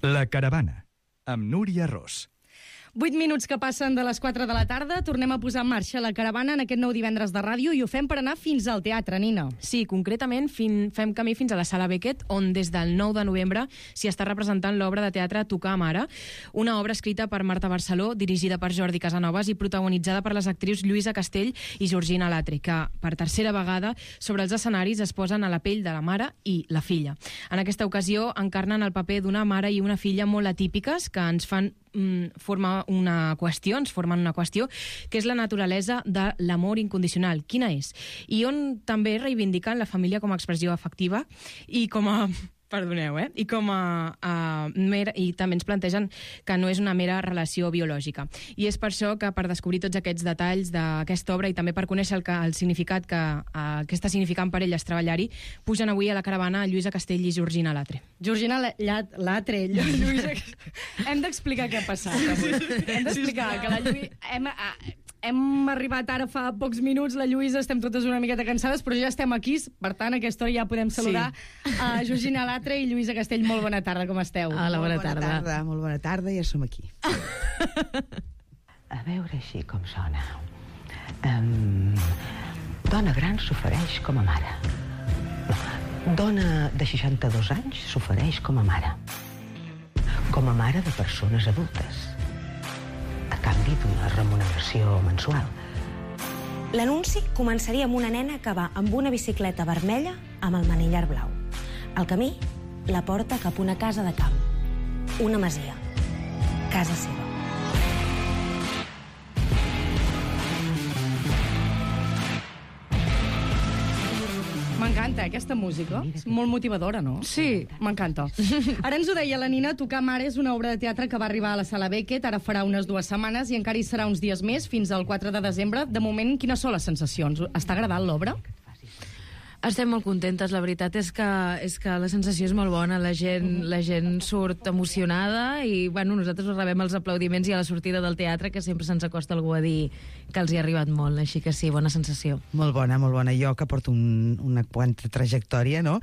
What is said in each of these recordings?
La Caravana, amb Núria Ros. 8 minuts que passen de les 4 de la tarda, tornem a posar en marxa La Caravana en aquest nou divendres de ràdio i ho fem per anar fins al teatre, Nina. Sí, concretament fem camí fins a la Sala Beckett, on des del 9 de novembre s'hi està representant l'obra de teatre Tocar Mare, una obra escrita per Marta Barceló, dirigida per Jordi Casanovas i protagonitzada per les actrius Lluïsa Castell i Georgina Latre, que per tercera vegada sobre els escenaris es posen a la pell de la mare i la filla. En aquesta ocasió encarnen el paper d'una mare i una filla molt atípiques que ens fan formen una qüestió, que és la naturalesa de l'amor incondicional. Quina és? I on també reivindiquen la família com a expressió afectiva i com a... Perdoneu, i com i també ens plantegen que no és una mera relació biològica. I és per això que per descobrir tots aquests detalls d'aquesta obra i també per conèixer el significat que està significant per elles treballar-hi, pugen avui a la caravana Lluïsa Castell i Georgina Latre. Georgina Latre, Lluïsa... Hem d'explicar què ha passat avui. Hem d'explicar que la Lluïsa... Hem arribat ara fa pocs minuts, la Lluïsa, estem totes una miqueta cansades, però ja estem aquí, per tant, a aquesta hora ja podem saludar a Georgina Latre i Lluïsa Castell. Molt bona tarda, com esteu? Hola, bona tarda. Molt bona tarda, ja som aquí. A veure així com sona. Dona gran s'ofereix com a mare. Dona de 62 anys s'ofereix com a mare. Com a mare de persones adultes, a canvi d'una remuneració mensual. L'anunci començaria amb una nena que va amb una bicicleta vermella amb el manillar blau. El camí la porta cap a una casa de camp. Una masia. Casa seva. M'encanta, aquesta música. És molt motivadora, no? Sí. M'encanta. Ara ens ho deia la Nina, Tocar Mare és una obra de teatre que va arribar a la Sala Beckett, ara farà unes 2 setmanes i encara hi serà uns dies més, fins al 4 de desembre. De moment, quines són les sensacions? Està agradant l'obra? Estem molt contentes, la veritat és que la sensació és molt bona, la gent surt emocionada i bueno, nosaltres rebem els aplaudiments i a la sortida del teatre que sempre se'ns acosta algú a dir que els hi ha arribat molt, així que sí, bona sensació. Molt bona. Jo que porto una quanta trajectòria, no?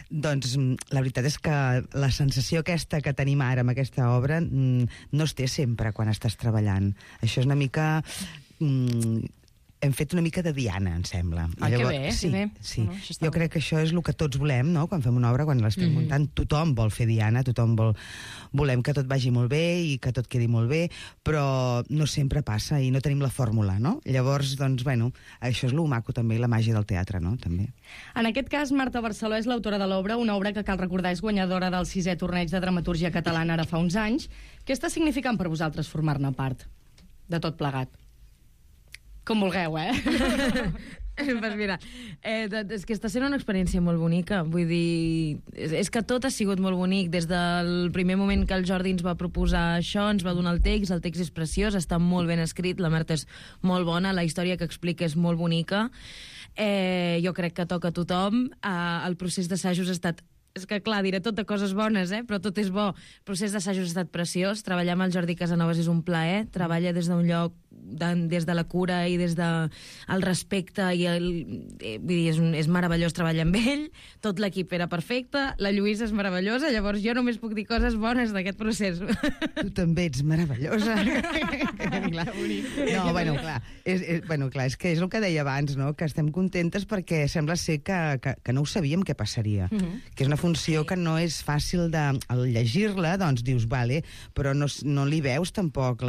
Doncs la veritat és que la sensació aquesta que tenim ara amb aquesta obra no es té sempre quan estàs treballant. Això és una mica... Hem fet una mica de Diana, em sembla. Que bé, sí, que bé. Sí. Jo crec que això és el que tots volem, no? Quan fem una obra, quan l'estem muntant, tothom vol fer Diana, volem que tot vagi molt bé i que tot quedi molt bé, però no sempre passa i no tenim la fórmula, no? Llavors, doncs, bueno, això és lo maco també, la màgia del teatre, no? També. En aquest cas, Marta Barceló és l'autora de l'obra, una obra que cal recordar és guanyadora del 6è torneig de dramatúrgia catalana ara fa uns anys. Què està significant per vosaltres formar-ne part de tot plegat? Com vulgueu, Pues mira, és que està sent una experiència molt bonica, vull dir, és que tot ha sigut molt bonic, des del primer moment que el Jordi ens va proposar això, ens va donar el text és preciós, està molt ben escrit, la Marta és molt bona, la història que explica és molt bonica, jo crec que toca a tothom, el procés d'assajos ha estat... És que, clar, diré tot de coses bones, però tot és bo. El procés d'assajos ha estat preciós. Treballar amb el Jordi Casanovas és un plaer. Treballa des d'un lloc, des de la cura i des del respecte. Vull dir, és meravellós treballar amb ell. Tot l'equip era perfecte. La Lluïsa és meravellosa. Llavors jo només puc dir coses bones d'aquest procés. Tu també ets meravellosa. No, bueno, clar, és que és el que deia abans, no? Que estem contentes perquè sembla ser que no ho sabíem què passaria. Que és una funció que no és fàcil al llegir-la, doncs dius, vale, però no li veus tampoc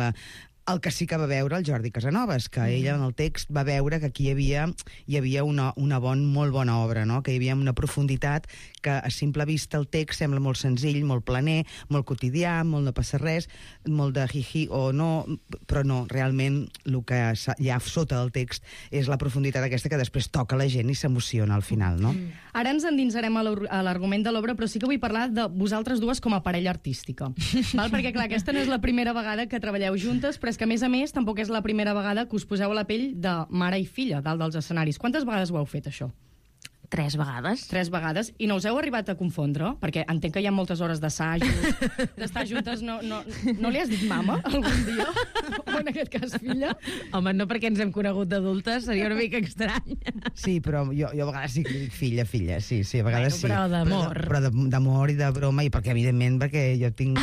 el que sí que va veure el Jordi Casanovas, que ella en el text va veure que aquí hi havia una molt bona obra, no? Que hi havia una profunditat que a simple vista el text sembla molt senzill, molt planer, molt quotidià, molt no passa res, molt de jiji o no, però no, realment el que hi ha sota del text és la profunditat aquesta que després toca la gent i s'emociona al final, no? Ara ens endinsarem a l'argument de l'obra, però sí que vull parlar de vosaltres dues com a parella artística. Val? Perquè, clar, aquesta no és la primera vegada que treballeu juntes, però és que, a més, tampoc és la primera vegada que us poseu a la pell de mare i filla dalt dels escenaris. Quantes vegades ho heu fet, això? 3 vegades. 3 vegades. I no us heu arribat a confondre? Perquè entenc que hi ha moltes hores d'assajos, d'estar juntes. No li has dit mama algun dia? O en aquest cas filla? Home, no perquè ens hem conegut d'adultes, seria una mica estrany. Sí, però jo a vegades sí que li dic filla, sí, a vegades sí. Però d'amor. Però d'amor i de broma, i perquè, evidentment, perquè jo tinc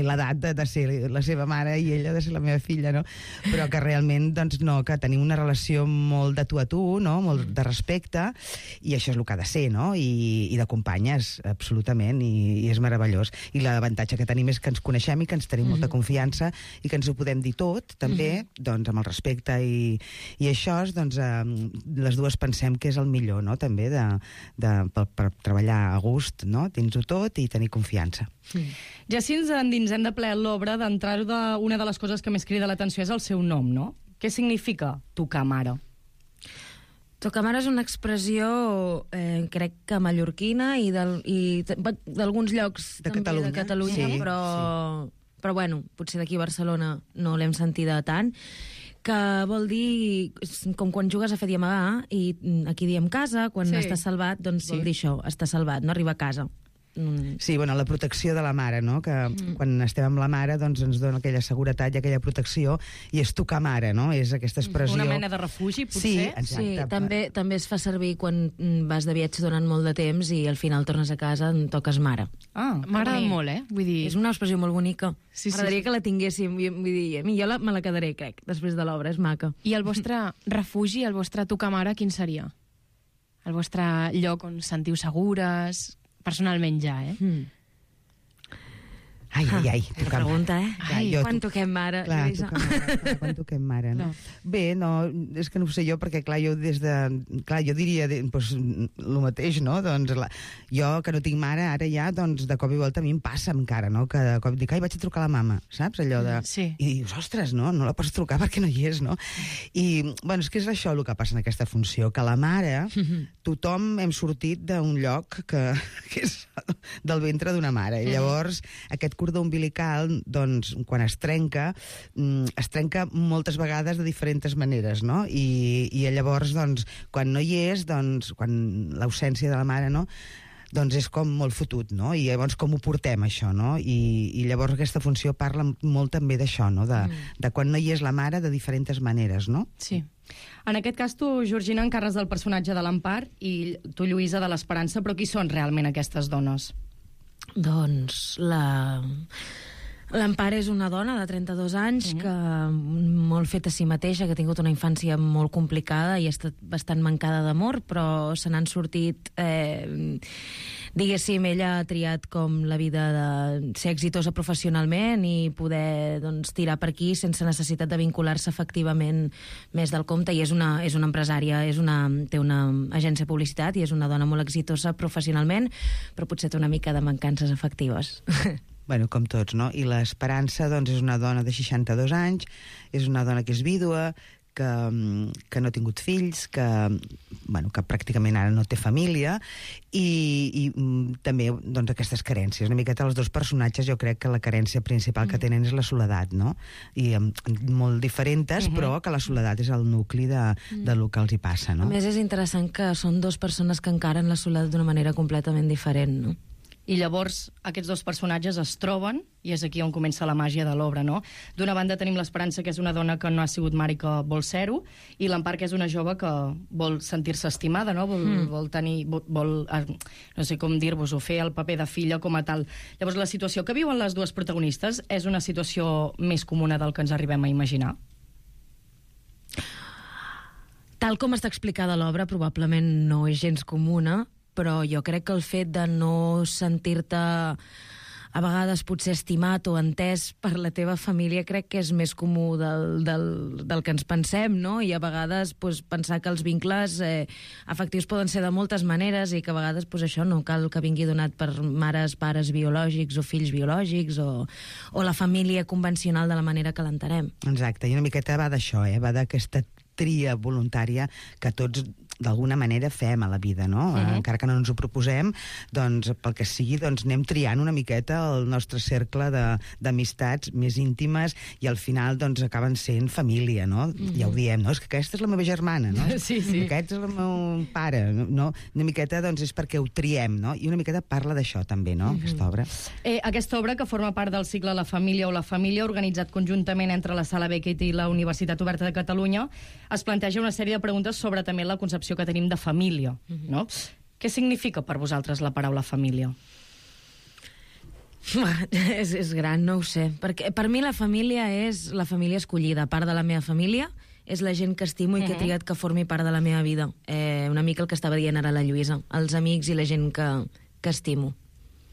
l'edat de ser la seva mare i ella de ser la meva filla, no? Però que realment, doncs, no, que tenim una relació molt de tu a tu, no? Molt de respecte, i això és el que ha de ser, no? I de companyes, absolutament, i és meravellós. I l'avantatge que tenim és que ens coneixem i que ens tenim molta confiança i que ens ho podem dir tot, també, doncs, amb el respecte, i això, doncs, les dues pensem que és el millor, no?, també, per treballar a gust, no?, dins-ho tot i tenir confiança. Ja si ens endinsem de ple a l'obra, d'entrar-ho una de les coses que més crida l'atenció és el seu nom, no? Què significa tocar mare? Tocar mare és una expressió, crec que mallorquina i d'alguns llocs de també de Catalunya, sí, però bueno, potser d'aquí a Barcelona no l'hem sentida tant, que vol dir, com quan jugues a fer i amagar, i aquí diem casa, quan estàs salvat, doncs vol dir això, estar salvat, no arribar a casa. Sí, bueno, la protecció de la mare, no? Que quan estem amb la mare, doncs ens dona aquella seguretat i aquella protecció, i és tocar mare, no? És aquesta expressió... Una mena de refugi, potser? Sí, exacte. Sí, també es fa servir quan vas de viatge durant molt de temps i al final tornes a casa, toques mare. M'agrada molt, Vull dir... És una expressió molt bonica. Sí. M'agradaria que la tinguéssim. Vull dir, jo me la quedaré, crec, després de l'obra, és maca. I el vostre refugi, el vostre tocar mare, quin seria? El vostre lloc on sentiu segures... Personalment ja, Ai, que pregunta, quan toquem mare, clar, quan toquem mare, no? Bé, no, és que no ho sé jo, perquè, clar, jo jo diria, doncs, el mateix, no? Doncs, jo, que no tinc mare, ara ja, doncs, de cop i volta a mi em passa encara, no? Que de cop dic, vaig a trucar a la mama, saps? Allò de... Sí. I dius, ostres, no la pots trucar perquè no hi és, no? I, bueno, és que és això el que passa en aquesta funció, que la mare, tothom hem sortit d'un lloc que és del ventre d'una mare, i llavors aquest cordó umbilical, doncs, quan es trenca moltes vegades de diferents maneres, no? I llavors, doncs, quan no hi és, doncs, quan l'ausència de la mare, no?, doncs és com molt fotut, no? I llavors com ho portem, això, no? I llavors aquesta funció parla molt també d'això, no? De quan no hi és la mare de diferents maneres, no? Sí. En aquest cas, tu, Georgina, encarres del personatge de l'Empar i tu, Lluïsa, de l'Esperança, però qui són realment aquestes dones? Doncs l'Empar és una dona de 32 anys que molt feta a si mateixa, que ha tingut una infància molt complicada i ha estat bastant mancada d'amor, però se n'han sortit... diguéssim, ella ha triat com la vida de ser exitosa professionalment i poder, doncs, tirar per aquí sense necessitat de vincular-se efectivament més del compte, i és una empresària, té una agència de publicitat i és una dona molt exitosa professionalment, però potser té una mica de mancances afectives. Bueno, com tots, no? I l'Esperança, doncs, és una dona de 62 anys, és una dona que és vídua, que no ha tingut fills, que pràcticament ara no té família, i també, doncs, aquestes carències. Una miqueta els dos personatges, jo crec que la carència principal que tenen és la soledat, no? I molt diferents, però que la soledat és el nucli del que els hi passa, no? A més, és interessant que són dues persones que encaren la soledat d'una manera completament diferent, no? I llavors aquests dos personatges es troben, i és aquí on comença la màgia de l'obra, no? D'una banda tenim l'Esperança, que és una dona que no ha sigut mare i que vol ser-ho, i l'Empar, que és una jove que vol sentir-se estimada, no? Vol tenir... no sé com dir-vos-ho, fer el paper de filla com a tal. Llavors, la situació que viuen les dues protagonistes és una situació més comuna del que ens arribem a imaginar? Tal com està explicada l'obra, probablement no és gens comuna, però jo crec que el fet de no sentir-te a vegades potser estimat o entès per la teva família crec que és més comú del que ens pensem, no? I a vegades pensar que els vincles afectius poden ser de moltes maneres i que a vegades això no cal que vingui donat per mares, pares biològics o fills biològics o la família convencional de la manera que l'entenem. Exacte, i una miqueta va d'això, va d'aquesta tria voluntària que tots d'alguna manera fem a la vida, no? Encara que no ens ho proposem, doncs, pel que sigui, doncs anem triant una miqueta el nostre cercle d'amistats més íntimes i al final, doncs, acaben sent família, no? Ja ho diem, no? És que aquesta és la meva germana, no? Sí. Aquest és el meu pare, no? Una miqueta, doncs, és perquè ho triem, no? I una miqueta parla d'això, també, no? Aquesta obra. Aquesta obra, que forma part del cicle La família o la família, organitzat conjuntament entre la Sala Beckett i la Universitat Oberta de Catalunya, es planteja una sèrie de preguntes sobre també la concepció que tenim de família, no? Què significa per vosaltres la paraula família? És gran, no ho sé. Perquè per mi la família és la família escollida. Part de la meva família és la gent que estimo i que he triat que formi part de la meva vida. Una mica el que estava dient ara la Lluïsa. Els amics i la gent que estimo.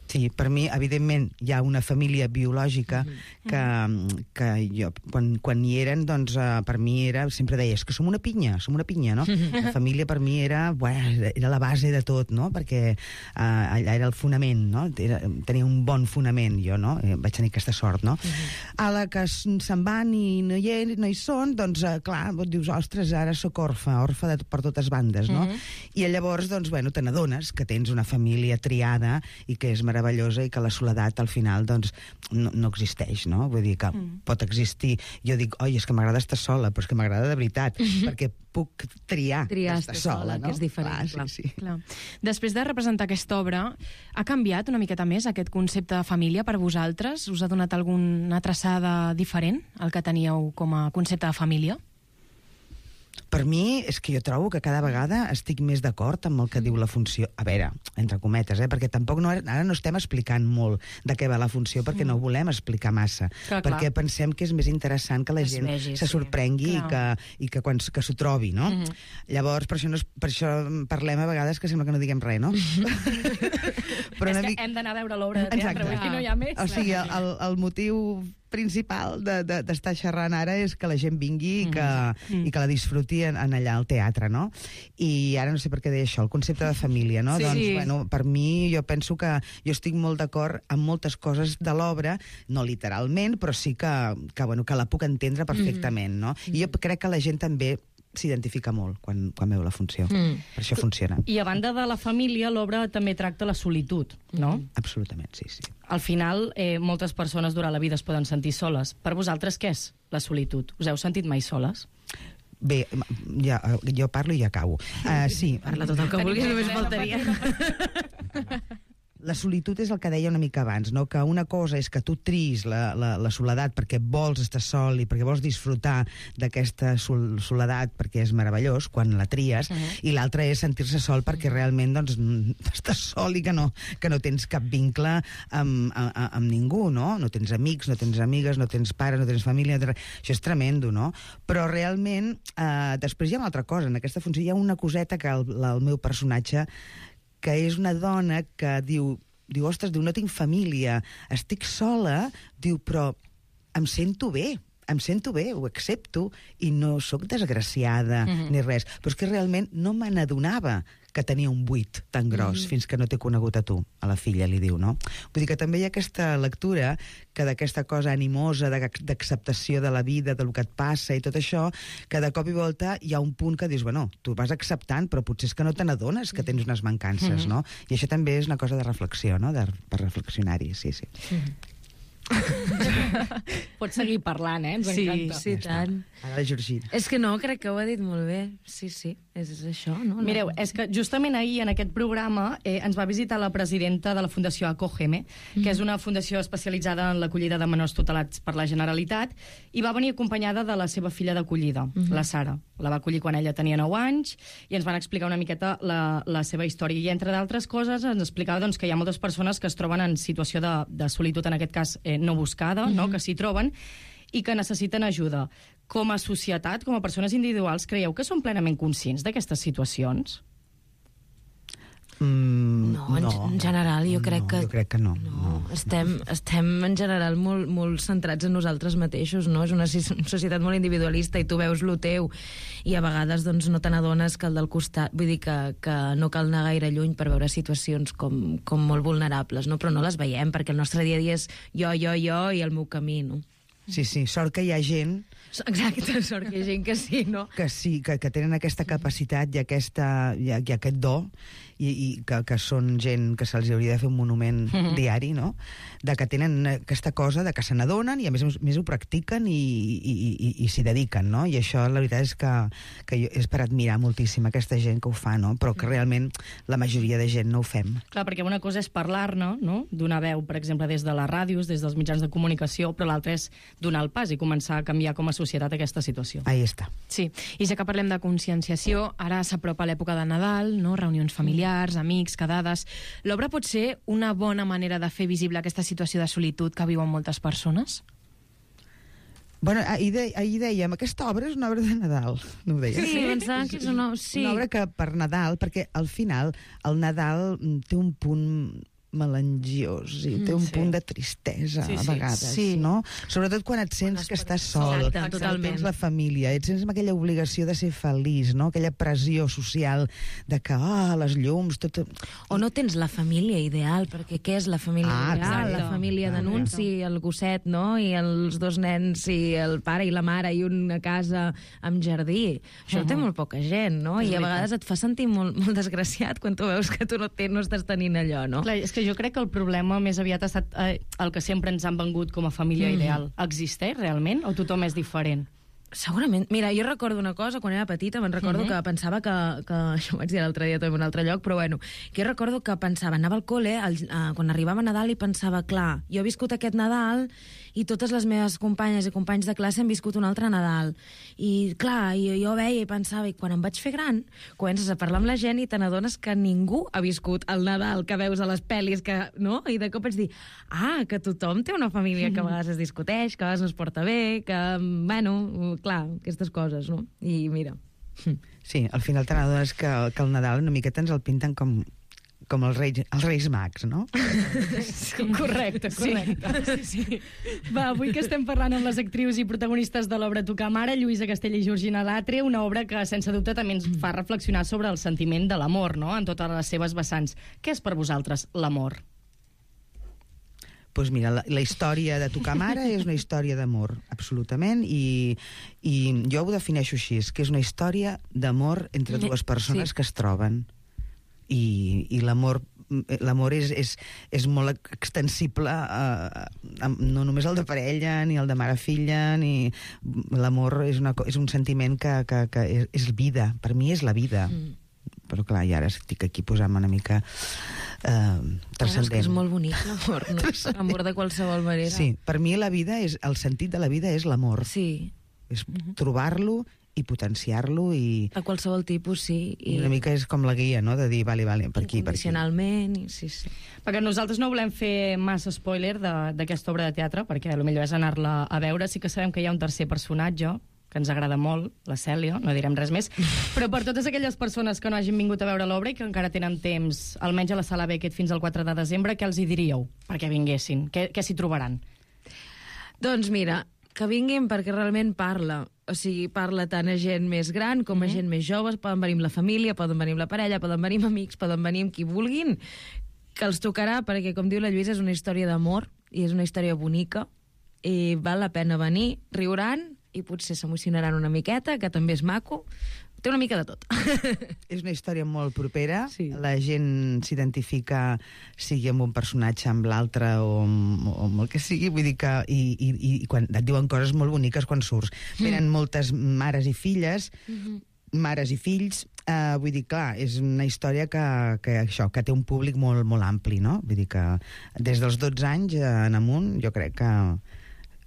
Sí, per mi, evidentment, hi ha una família biològica que jo, quan hi eren, doncs, per mi era, sempre deia, és que som una pinya, no? La família per mi era la base de tot, no? Perquè allà era el fonament, no? Tenia un bon fonament, jo, no? Vaig tenir aquesta sort, no? A la que se'n van i no hi són, doncs, clar, dius, ostres, ara sóc orfa per totes bandes, no? I llavors, doncs, bueno, te n'adones que tens una família triada i que és meravellosa i que la soledat al final doncs no existeix, no? Vull dir que pot existir. Jo dic, oi, és que m'agrada estar sola, però és que m'agrada de veritat, perquè puc triar estar sola, no? Que és diferent, clar. Sí. Clar. Després de representar aquesta obra, ha canviat una miqueta més aquest concepte de família per vosaltres? Us ha donat alguna traçada diferent al que teníeu com a concepte de família? Per mi, és que jo trobo que cada vegada estic més d'acord amb el que diu la funció. A veure, entre cometes, perquè tampoc ara no estem explicant molt de què va la funció, perquè no volem explicar massa. Perquè pensem que és més interessant que la gent se sorprengui i que s'ho trobi, no? Llavors, per això parlem a vegades que sembla que no diguem res, no? Però és que hem d'anar a veure l'obra de teatre, perquè no hi ha més. O sigui, el motiu principal d'estar xerrant ara és que la gent vingui i que la disfruti en allà al teatre, no? I ara no sé per què deia això, el concepte de família, no? Doncs, bueno, per mi, jo penso que jo estic molt d'acord amb moltes coses de l'obra, no literalment, però sí que la puc entendre perfectament, no? I jo crec que la gent també s'identifica molt quan veu la funció. Per això funciona. I a banda de la família, l'obra també tracta la solitud, no? Absolutament, sí. Al final, moltes persones durant la vida es poden sentir soles. Per vosaltres, què és la solitud? Us heu sentit mai soles? Bé, jo parlo i ja acabo. Sí. Parla tot el que vulguis, només faltaria. La solitud és el que deia una mica abans, no? Que una cosa és que tu triïs la soledat perquè vols estar sol i perquè vols disfrutar d'aquesta soledat perquè és meravellós quan la tries, i l'altra és sentir-se sol perquè realment doncs, estàs sol i que no tens cap vincle amb ningú, no? No tens amics, no tens amigues, no tens pares, no tens família... Això és tremendo, no? Però realment, després hi ha una altra cosa. En aquesta funció hi ha una coseta que el meu personatge, que és una dona que diu, ostres, no tinc família, estic sola, diu, però em sento bé, ho accepto i no sóc desgraciada ni res. Però és que realment no me n'adonava que tenia un buit tan gros fins que no t'he conegut a tu, a la filla, li diu, no? Vull dir que també hi ha aquesta lectura que d'aquesta cosa animosa, d'acceptació de la vida, del que et passa i tot això, que de cop i volta hi ha un punt que dius, bueno, tu vas acceptant, però potser és que no te n'adones que tens unes mancances, no? I això també és una cosa de reflexió, no? Per reflexionar-hi, sí. Pots seguir parlant, ens encanta. Sí, tant. Ara la Georgina. És que no, crec que ho ha dit molt bé. Sí, és això, no? Mireu, és que justament ahir en aquest programa ens va visitar la presidenta de la Fundació Acógeme, que és una fundació especialitzada en l'acollida de menors tutelats per la Generalitat, i va venir acompanyada de la seva filla d'acollida, la Sara. La va acollir quan ella tenia 9 anys i ens van explicar una miqueta la seva història. I entre d'altres coses ens explicava doncs, que hi ha moltes persones que es troben en situació de solitud, en aquest cas no buscada, no? Que s'hi troben, i que necessiten ajuda. Com a societat, com a persones individuals, creieu que són plenament conscients d'aquestes situacions? No, en general jo crec que... Jo crec que no. Estem en general molt centrats en nosaltres mateixos, no? És una societat molt individualista i tu veus lo teu i a vegades doncs, no te n'adones que el del costat... Vull dir que no cal anar gaire lluny per veure situacions com molt vulnerables, no? Però no les veiem perquè el nostre dia a dia és jo i el meu camí, no? Sí, sort que hi ha gent Exacte, sort que hi ha gent que sí, no? que sí, que tenen aquesta capacitat i aquest do, i que són gent que se'ls hauria de fer un monument diari, no? De que tenen aquesta cosa, de que se n'adonen i a més ho practiquen i s'hi dediquen, no? I això la veritat és que jo és per admirar moltíssim aquesta gent que ho fa, no? Però que realment la majoria de gent no ho fem. Clar, perquè una cosa és parlar-ne, no? Donar veu, per exemple, des de les ràdios, des dels mitjans de comunicació, però l'altra és donar el pas i començar a canviar com a societat aquesta situació. Ahí està. Sí, i ja que parlem de conscienciació, ara s'apropa l'època de Nadal, no? Reunions familiars, amics, quedades... L'obra pot ser una bona manera de fer visible aquesta situació de solitud que viuen moltes persones? Bueno, ahir dèiem, aquesta obra és una obra de Nadal, no ho dèiem? Sí, pensava que és una... Sí. Una obra que per Nadal, perquè al final el Nadal té un punt melangiós i té un punt de tristesa a vegades, no? Sobretot quan et sents que estàs sol, exacte, totalment. Tens la família, et sents amb aquella obligació de ser feliç, no? Aquella pressió social de que, les llums, tot... O no tens la família ideal, perquè què és la família ideal? exacte. La família d'anunci, el gosset, no? I els dos nens, i el pare i la mare, i una casa amb jardí. Això té molt poca gent, no? I a vegades et fa sentir molt desgraciat quan tu veus que tu no estàs tenint allò, no? Clar, és que jo crec que el problema més aviat ha estat el que sempre ens han vengut com a família ideal. Existeix realment o tothom és diferent? Segurament. Mira, jo recordo una cosa, quan era petita, recordo que pensava que això ho vaig dir l'altre dia també en un altre lloc, però bueno, que jo recordo que pensava, anava al col·le, quan arribava Nadal i pensava, clar, jo he viscut aquest Nadal i totes les meves companyes i companys de classe han viscut un altre Nadal. I clar, jo veia i pensava, i quan em vaig fer gran, comences a parlar amb la gent i te n'adones que ningú ha viscut el Nadal que veus a les pel·lis, no? I de cop vaig dir, que tothom té una família que a vegades es discuteix, que a vegades no es porta bé, que, bueno, clar, aquestes coses, no? I mira... Sí, al final te n'adones que el Nadal una miqueta ens el pinten com els Reis Mags, no? Correcte. Sí. Va, avui que estem parlant amb les actrius i protagonistes de l'obra Tocar Mare, Lluïsa Castell i Georgina Latre, una obra que, sense dubte, també ens fa reflexionar sobre el sentiment de l'amor, no?, en totes les seves vessants. Què és per vosaltres l'amor? Doncs mira, la història de Tocar Mare és una història d'amor, absolutament, i jo ho defineixo així, que és una història d'amor entre dues persones que es troben. I l'amor és molt extensible, no només el de parella, ni el de mare-filla, ni... L'amor és un sentiment que és vida, per mi és la vida. Però clar, i ara estic aquí posant-me una mica transcendent. És que és molt bonic l'amor, no? L'amor de qualsevol manera. Sí, per mi la vida el sentit de la vida és l'amor. Sí. És trobar-lo i potenciar-lo i... A qualsevol tipus, sí. I una mica és com la guia, no?, de dir, vale, per aquí, per aquí. Incondicionalment, sí. Perquè nosaltres no volem fer massa spoiler d'aquesta obra de teatre, perquè potser és anar-la a veure. Sí que sabem que hi ha un tercer personatge, que ens agrada molt, la Cèlia, no direm res més, però per totes aquelles persones que no hagin vingut a veure l'obra i que encara tenen temps, almenys a la Sala Beckett fins al 4 de desembre, què els hi diríeu perquè vinguessin? Què s'hi trobaran? Doncs mira, que vinguin perquè realment parla. O sigui, parla tant a gent més gran com a gent més jove. Poden venir amb la família, poden venir amb la parella, poden venir amb amics, poden venir amb qui vulguin, que els tocarà, perquè, com diu la Lluïsa, és una història d'amor i és una història bonica i val la pena venir, riuran i potser s'emocionaran una miqueta, que també és maco. Té una mica de tot. És una història molt propera. Sí. La gent s'identifica, sigui amb un personatge, amb l'altre o amb el que sigui. Vull dir que... I quan et diuen coses molt boniques quan surts. Venen moltes mares i filles, mares i fills. Vull dir, clar, és una història que té un públic molt, molt ampli, no? Vull dir que des dels 12 anys en amunt jo crec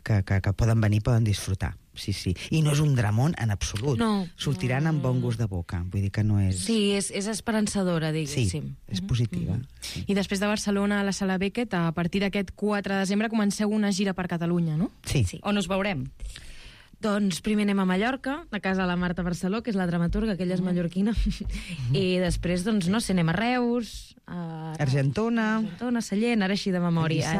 que poden venir, poden disfrutar. Sí. I no és un dramón en absolut. No. Sortiran amb bon gust de boca. Vull dir que no és... Sí, és esperançadora, diguéssim. Sí, és positiva. Sí. I després de Barcelona a la Sala Beckett, a partir d'aquest 4 de desembre comenceu una gira per Catalunya, no? Sí. On us veurem? Doncs primer anem a Mallorca, a casa de la Marta Barceló, que és la dramaturga, que ella és mallorquina. I després, doncs, no sé, anem a Reus, a Argentona, Sallent, ara així de memòria.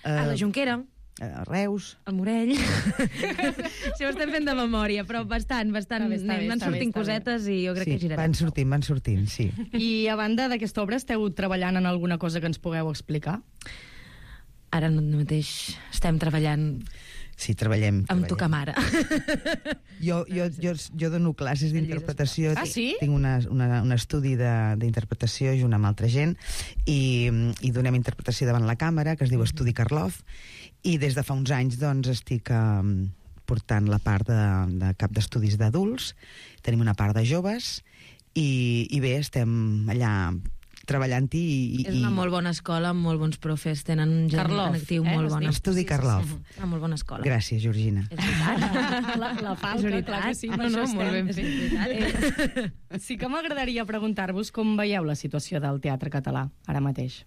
A la Jonquera. A Reus, al Morell. Això ho estem fent de memòria, però bastant. Van sortint cosetes i jo crec que girarem. Van sortint, sí. I a banda d'aquesta obra, esteu treballant en alguna cosa que ens pugueu explicar? Ara mateix estem treballant... Sí, treballem. Amb tu, mare. Jo dono classes d'interpretació. Ah, sí? Tinc un estudi d'interpretació junt amb altra gent i donem interpretació davant la càmera, que es diu Estudi Karloff, i des de fa uns anys doncs, estic portant la part de cap d'estudis d'adults, tenim una part de joves, i bé, estem allà treballant-hi. És una molt bona escola, amb molt bons profes, tenen gent en actiu molt bona. Estudi Karloff. Una molt bona escola. Gràcies, Georgina. És veritat. La falca, clar que sí. No, molt ben fet. Sí que m'agradaria preguntar-vos com veieu la situació del teatre català ara mateix.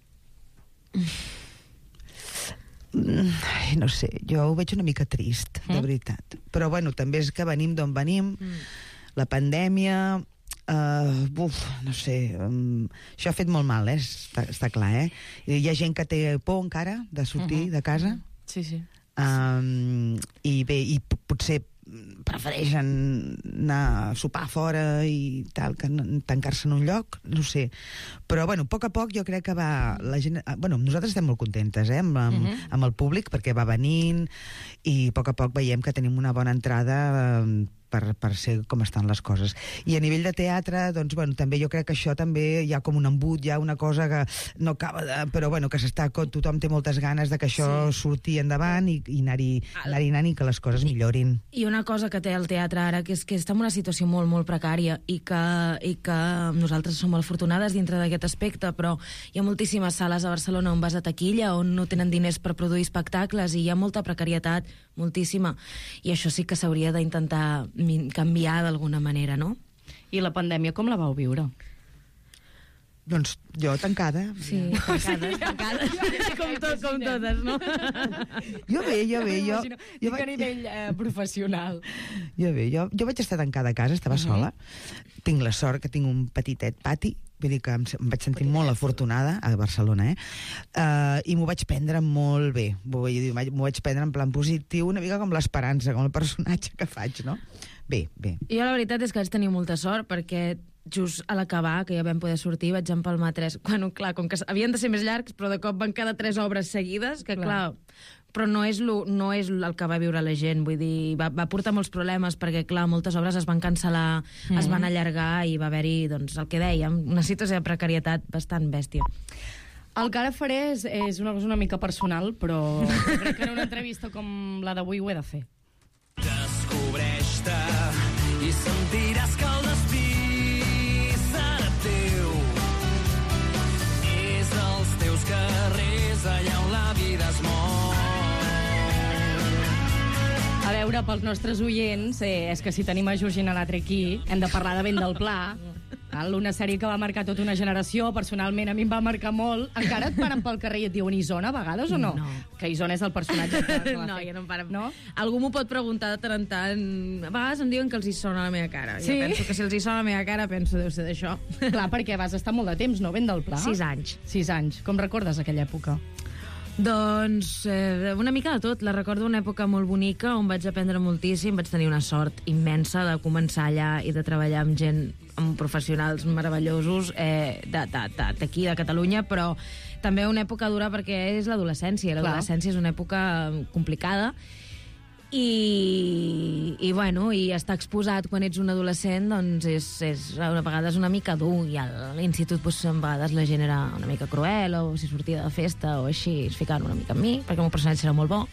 No sé, jo ho veig una mica trist, de veritat. Però bueno, també és que venim d'on venim, la pandèmia... no sé, això ha fet molt mal, està clar, Hi ha gent que té por encara de sortir de casa. Sí, sí. I bé, i potser prefereixen anar a sopar fora i tal, que tancar-se en un lloc, no sé. Però, bueno, a poc jo crec que va... La gent, bueno, nosaltres estem molt contentes, amb el públic, perquè va venint i a poc veiem que tenim una bona entrada per ser com estan les coses. I a nivell de teatre, doncs, bueno, també jo crec que això també hi ha com un embut, hi ha una cosa que no acaba de... Però, bueno, que tothom té moltes ganes de que això surti endavant i anar-hi anant i que les coses millorin. I una cosa que té el teatre ara, que és que està en una situació molt, molt precària i que nosaltres som molt afortunades dintre d'aquest aspecte, però hi ha moltíssimes sales a Barcelona on vas a taquilla, on no tenen diners per produir espectacles i hi ha molta precarietat, moltíssima. I això sí que s'hauria d'intentar canviar d'alguna manera, no? I la pandèmia com la vau viure? Doncs jo tancada. Sí, tancades. Com totes, no? Jo bé. Jo a nivell professional. Jo vaig estar tancada a casa, estava sola. Tinc la sort que tinc un petitet pati, vull dir que em vaig sentir molt afortunada a Barcelona, i m'ho vaig prendre molt bé. M'ho vaig prendre en plan positiu, una mica com l'esperança, com el personatge que faig, no? Bé. Jo la veritat és que vaig tenir molta sort perquè just a l'acabar, que ja vam poder sortir, vaig empalmar 3... Bueno, clar, com que havien de ser més llargs, però de cop van quedar 3 obres seguides, que clar... Però no és el que va viure la gent, vull dir, va portar molts problemes, perquè, clar, moltes obres es van cancel·lar, es van allargar, i va haver-hi, doncs, el que dèiem, una situació de precarietat bastant bèstia. El que ara faré és una cosa una mica personal, però crec que en una entrevista com la d'avui ho he de fer. Descobreix-te i sentiràs que el destí serà teu. És als teus carrers allà on la vida es mou. A veure, pels nostres oients, és que si tenim a Georgina Latre aquí, hem de parlar de Vent del Pla, una sèrie que va marcar tota una generació, personalment a mi em va marcar molt. Encara et paren pel carrer i et diuen Isona a vegades o no? No. Que Isona és el personatge que No, ja no em paren. No? Algú m'ho pot preguntar de tant en tant. A vegades em diuen que els hi sona la meva cara. Sí? Jo penso que si els hi sona la meva cara, penso deu ser d'això. Clar, perquè vas estar molt de temps, no? Vent del Pla? 6 anys. 6 anys. Com recordes aquella època? Doncs una mica de tot. La recordo una època molt bonica on vaig aprendre moltíssim, vaig tenir una sort immensa de començar allà i de treballar amb gent, amb professionals meravellosos d'aquí, de Catalunya, però també una època dura perquè és l'adolescència. L'adolescència és una època complicada i bueno, i estar exposat quan ets un adolescent doncs és a vegades una mica dur, i a l'institut doncs, a vegades la gent era una mica cruel, o si sortia de festa o així es ficaven una mica amb mi, perquè el meu personatge era molt bo.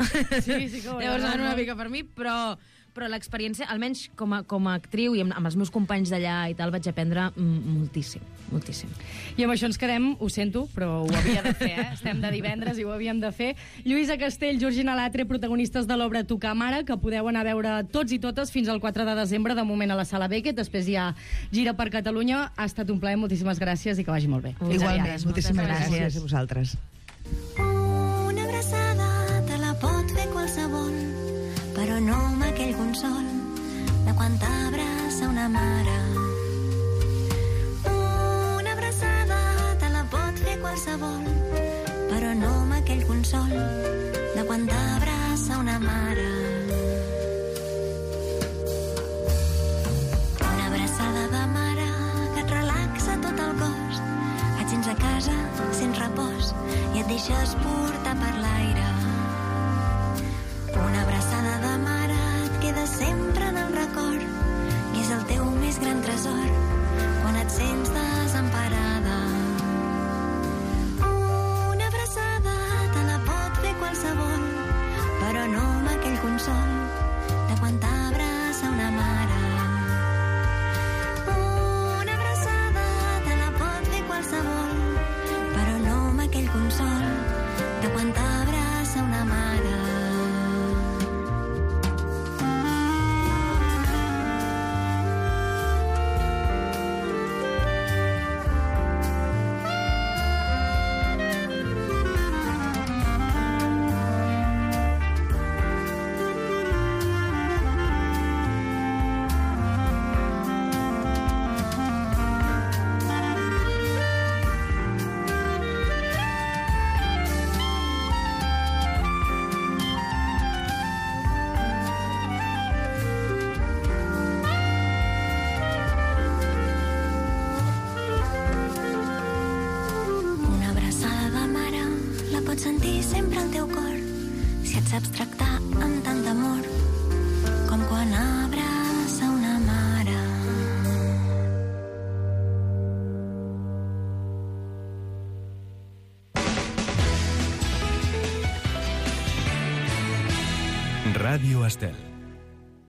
Sí que ho llavors anaven una mica per mi, però l'experiència, almenys com a actriu i amb els meus companys d'allà i tal, vaig aprendre moltíssim. I amb això ens quedem, ho sento, però ho havia de fer, Estem de divendres i ho havíem de fer. Lluïsa Castell, Georgina Latre, protagonistes de l'obra Tocar Mare, que podeu anar a veure tots i totes fins al 4 de desembre, de moment a la Sala Beckett, després hi ha gira per Catalunya. Ha estat un plaer, moltíssimes gràcies i que vagi molt bé. Igualment, moltíssimes gràcies a vosaltres. Una abraçada te la pot fer qualsevol, però no amb aquell consol de quan t'abraça una mare. Una abraçada te la pot fer qualsevol, però no amb aquell consol de quan t'abraça una mare. Una abraçada de mare que et relaxa tot el cos, et sents a casa, sents repòs i et deixes portar per l'aire. Una abraçada però no amb aquell consol de quan t'abraça una mare. Una abraçada te la pot fer qualsevol, però no amb aquell consol de quan t'abraça una mare. Sentir sempre el teu cor, si et saps tractar amb tant d'amor com quan abraça una mare. Ràdio Estel.